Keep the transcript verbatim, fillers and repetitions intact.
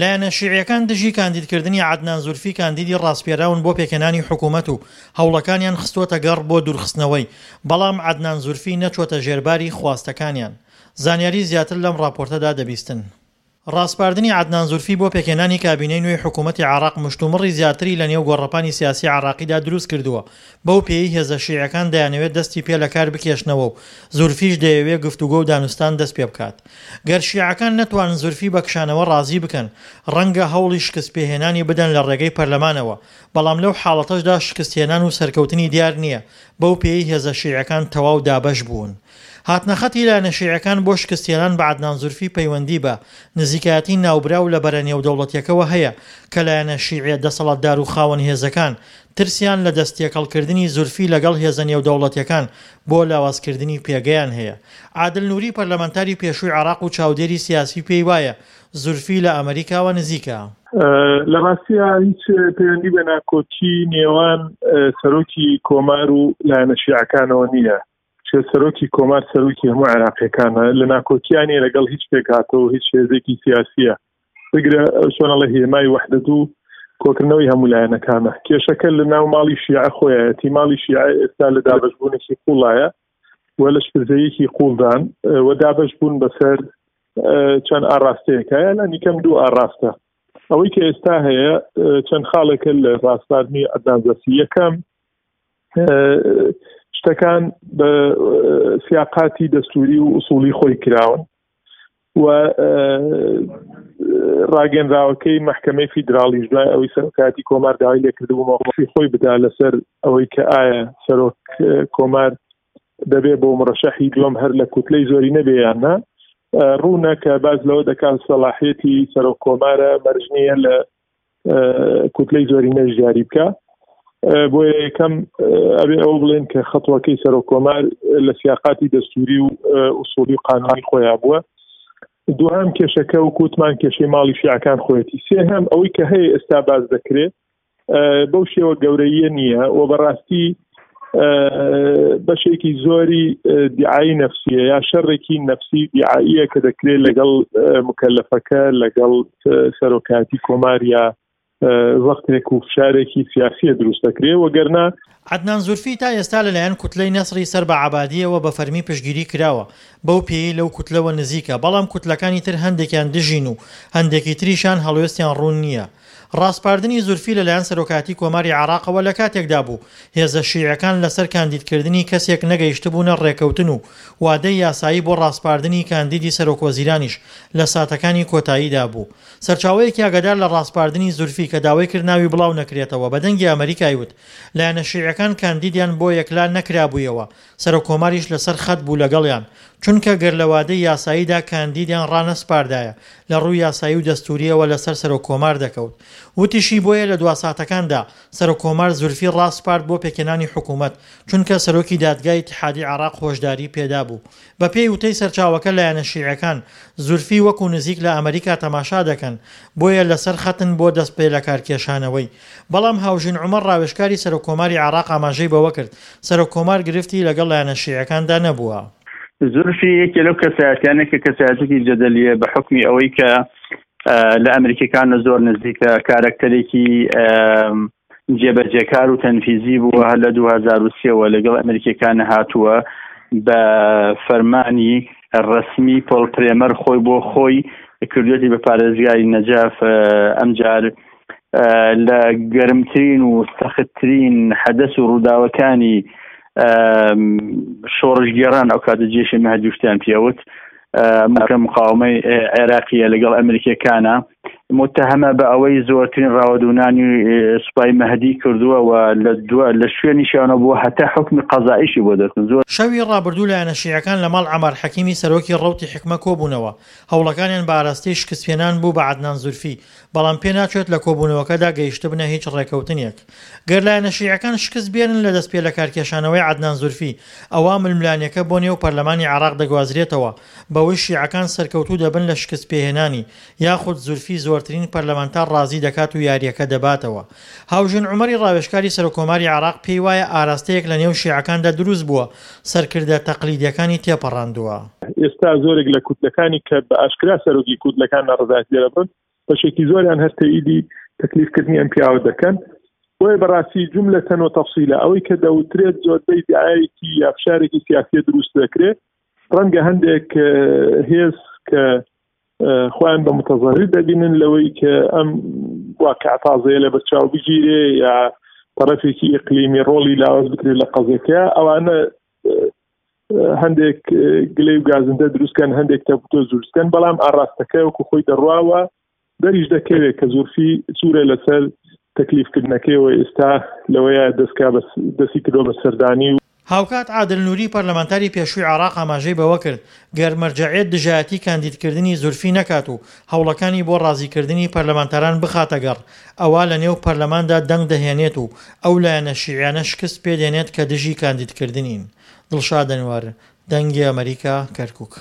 لایەنە شیعیەکان دژی کاندیدکردنی عەدنان زورفی کاندیدی ڕاسپێراون بۆ پێکهێنانی حکوومەت و هەوڵەکانیان خستووەتە گەڕ بۆ دوورخستنەوەی، بەڵام عەدنان زورفی نەچووەتە ژێرباری خواستەکانیان. زانیاری زیاتر لەم ڕاپۆرتەدا دەبیستن. ڕاسپاردنی عەدنان زورفی بۆ پێکهێنانی کابینەی نوێی حکوومەتی عێراق مشتومڕی زیاتری لە نێو گۆڕەپانی سیاسی عێراقیدا دروست کردووە، بەو پێیەی هێزە شیعەکان دەیانەوێت دەستی پێ لە کار بکێشنەوە و زورفیش دەیەوێ گفتوگۆ و دانوستان دەست پێ بکات. گەر شیعەکان نەتوانن زورفی بە کشانەوە ڕازی بکەن، ڕەنگە هەوڵی شکستپێهێنانی بدەن لە ڕێگەی پەرلەمانەوە، بەڵام لەو حاڵەتەشدا شکستهێنان و سەرکەوتنی دیار نییە، بەو پێیەی هێزە شیعەکان تەواو دابەش بوون. هاتنەخەتی لایەنە شیعەکان بۆ شکستهێنان بە عەدنان زورفی پەیوەندی بە نزیکایەتی ناوبراو لە بەرە نێودەوڵەتیەکەوە هەیە کە لایەنە شیعیە دەسەڵاتدار و خاوەن هێزەکان ترسیان لە دەستتێکەڵکردنی زورفی لەگەڵ هێزە نێودەوڵەتیەکان بۆ لاوازکردنی پێگەیان هەیە. عادل نوری پەرلەمانتاری پێشووی عێراق و چاودێری سیاسی پێی وایە زورفی لە ئەمەریکاوە نزیکە. لە ڕاستیا هیچ پەیوەندی بە ناکۆکی نێوان سەرۆکی کۆمار و لایەنە شیعەکانەوە نییە. سەرۆکی کۆمار سەرۆکی هەموو عێراقیەکانە، لە ناکۆکیانی لەگەڵ هیچ پێکهاتە و هیچ هێزێکی سیاسیە، بگرە چۆنەڵە هێمای وەحدەت و کۆکردنەوەی هەموو لایەنەکانە. کێشەکە لە ناو ماڵی شیعە خۆیەتی. ماڵی شیعە ئێستا لە دابەشبوونێکی قوڵایە و لە شپرزەیەکی قوڵدان و دابەش بوون بەسەر چەند ئاراستەیەکە، لانی کەم دوو ئاراستە. ئەوەی کە ئێستا هەیە چەند خاڵێکە لە ڕاستپاردنی عەدنان زورفی. یەکەم، شتەکان بە سیاقاتی دەستوری و ئوسوڵی خۆی کراون و ڕاگەنراوەکەی مەحکەمەی فیدراڵیش دوای ئەوەی سەرۆکایەتی کۆمار داوای لێکردبوو مەوقفی خۆی بدا لەسەر ئەوەی کە ئایا سەرۆک کۆمار دەبێ بۆ مرەشەحی دووەم هەر لە کوتلەی زۆری نەبێ یان نا، ڕوونە کە باز لەوە دەکات سەلاحیەتی سەرۆک کۆمارە مەرج نییە لە کوتلەی زۆری نەش دیاری بکە. بۆیە یەکەم ئەبێ ئەوە بڵێن کە خەتوەکەی سەرۆک کۆمار لە سیاقاتی دەستوری و ئوسوڵی و قانونی خۆیان بووە. دووهەم کێشەکە و کوتمان کێشەی ماڵی شیعەکان خۆیەتی. سێهەم ئەوەی کە هەیە ئێستا باز دەکرێت بەو شێوە گەورەیە نییە و بەڕاستی بەشێکی زۆری دیعایی نەفسیە یا شەڕێکی نەفسی دیعاییە کە دەکرێت لەگەڵ مکەلەفەکە لەگەڵ سەرۆکایەتی کۆمار یا وەختێک و فشارێکی سیاسیە دروست دەکرێت. وەگەرنا عەدنان زورفی تا ئێستا لەلایەن کوتلەی نەسری سەر بە عەبادیەوە بە فەرمی پشتگیری کراوە، بەو پێیەی لەو کوتلەوە نزیکە، بەڵام کوتلەکانی تر هەندێکیان دژین و هەندێکی تریشان هەڵوێستیان ڕوون نییە. ڕاسپاردنی زورفی لەلایەن سەرۆکایەتی کۆماری عێراقەوە لە کاتێکدا بوو هێزە شیعەکان لەسەر کاندیدکردنی کەسێک نەگەیشتبوونە ڕێکەوتن و وادەی یاسایی بۆ ڕاسپاردنی کاندیدی سەرۆکوەزیرانیش لە ساتەکانی کۆتاییدا بوو. سەرچاوەیەکی ئاگادار لە ڕاسپاردنی زورفی کە داوای کرد ناوی بڵاو نەکرێتەوە بە دەنگی ئەمەریکای وت لایەنە شیعەکان کاندیدیان بۆ یەکلا نەکرابوویەوە، سەرۆک کۆماریش لەسەر خەت بوو لەگەڵیان، چونکە گەر لە وادەی یاساییدا کاندیدیان ڕانەسپاردایە لە ڕووی یاسایی و دەستوریەوە لەسەر سەرۆک کۆمار دەکەوت. وتیشی بۆیە لە دوا ساتەکاندا سەرۆک کۆمار زورفی ڕاسپارد بۆ پێکهێنانی حکوومەت، چونکە سەرۆکی دادگای ئیتیحادی عێراق هۆشداری پێدابوو. بەپێی وتەی سەرچاوەکە لایەنە شیعەکان زورفی وەکو نزیک لە ئەمەریکا تەماشا دەکەن، بۆیە لەسەر خەتن بۆ دەست پێ لەکارکێشانەوەی. بەڵام هاوژین عومەر ڕاوێژکاری سەرۆک کۆماری عێراق ئاماژەی بەوە کرد سەرۆک کۆمار گرفتی لەگەڵ لایەنە شیعەکاندا نەبووە. زورفی یەکێ لەو کەسایەتیانە کە کەسایەتێکی جەدەلیە بە حوکمی ئەوەی کە لە ئەمریکیەکان زۆر نزیکە، کارەکتەرێکی جێبەجێکار و تەنفیزی بووە، هەر لە دوو هەزار و سێوە لەگەڵ ئەمریکیەکان هاتووە بە فەرمانی ڕەسمی پۆل پرێمەر خۆی بۆ خۆی کردوێتی بە پارێزگاری نەجەف. ئەمجار لە گەرمترین و سەختترین حەدەس و ڕووداوەکانی شۆڕشگێڕان ئەو کاتە جێشی مەهدیوشتیان پێوت کە مقاومەی عێراقیە لەگەڵ ئەمریکیەکانە، متهمە بە ئەوەی زۆرترین ڕاوەدوونانی سوپای مەهدی کردووە و لە شوێنیشیانەوە بووە هەتا حوکمی قەزاییشی بۆ دەرکرد. زۆر شەوی ڕابردوو لایەنە شیعەکان لە ماڵ عەمار حەکیمی سەرۆکی ڕەوتی حیکمە کۆبوونەوە، هەوڵەکانیان بە ئاراستەی شکستپێنان بوو بە عەدنان زورفی، بەڵام پێناچێت لە کۆبوونەوەکەدا گەیشتبنە هیچ ڕێکەوتنێک. گەر لایەنە شیعەکان شکست بێنن لە دەستپێلەکارکێشانەوەی عەدنان زورفی، ئەوا ململانێکە بۆ نێو پەرلەمانی عێراق دەگوازرێتەوە، بەوەی شیعەکان سەرکەوتوو دەبن لە شکستپێهێنانی، یاخود زورفی زۆرترین پەرلەمانتار ڕازی دەکات و یارییەکە دەباتەوە. هاوژین عومەری ڕاوێژکاری سەرۆککۆماری عێراق پێی وایە ئاراستەیەک لە نێو شیعەکاندا دروست بووە، سەرکردە تەقلیدیەکانی تێپەڕاندووە. ئێستا زۆرێک لە کوتلەکانی کە بە ئاشکرا سەرۆکی کوتلەکان ناڕەزایەتی دەربڕن، بەشێکی زۆریان هەر تەئیدی تەکلیفکردنی ئەم پیاوە دەکەن. بۆیە بەڕاستی جوملەتەن و تەفسیلە ئەوەی کە دەوترێت زۆربەی دعایەکی یا فشارێکی سیاسیە دروست دەکرێت. ڕەنگە هەندێک هێز کە خۆیان بە متەزەرر دەبینن لەوەی کە ئەم واقع تازەیە لە بەرچاو بگیرێ یا طرفێکی ئیقلیمی ڕۆڵی لاواز بکرێت لە قەزیەکە، ئەوانە هەندێک گلەی و گازندە دروستکەن، هەندێک تەپوتۆز دروستکەن، بەڵام ئاراستەکە وەکو خۆی دەڕواوە دەریش دەکەوێت کە زورفی سوورە لەسەر تەکلیفکردنەکەیەوە ئێستا لەوەیە دەستکا دەستی کردووە بە سەردانی و هاوکات عادل نوری پەرلەمانتاری پێشووی عێراق ئاماژەی بەوە کرد، گەر مەرجەعیەت دژایەتی کاندیدکردنی زورفی نەکات و هەوڵەکانی بۆ ڕازیکردنی پەرلەمانتاران بخاتەگەڕ، ئەوا لەنێو پەرلەماندا دەنگ دەهێنێت و ئەو لایەنە شیعیانە شکست پێدێنێت کە دژی کاندیدکردنین. دڵشاد ئەنوەر، دەنگی ئەمەریکا، کەرکوک.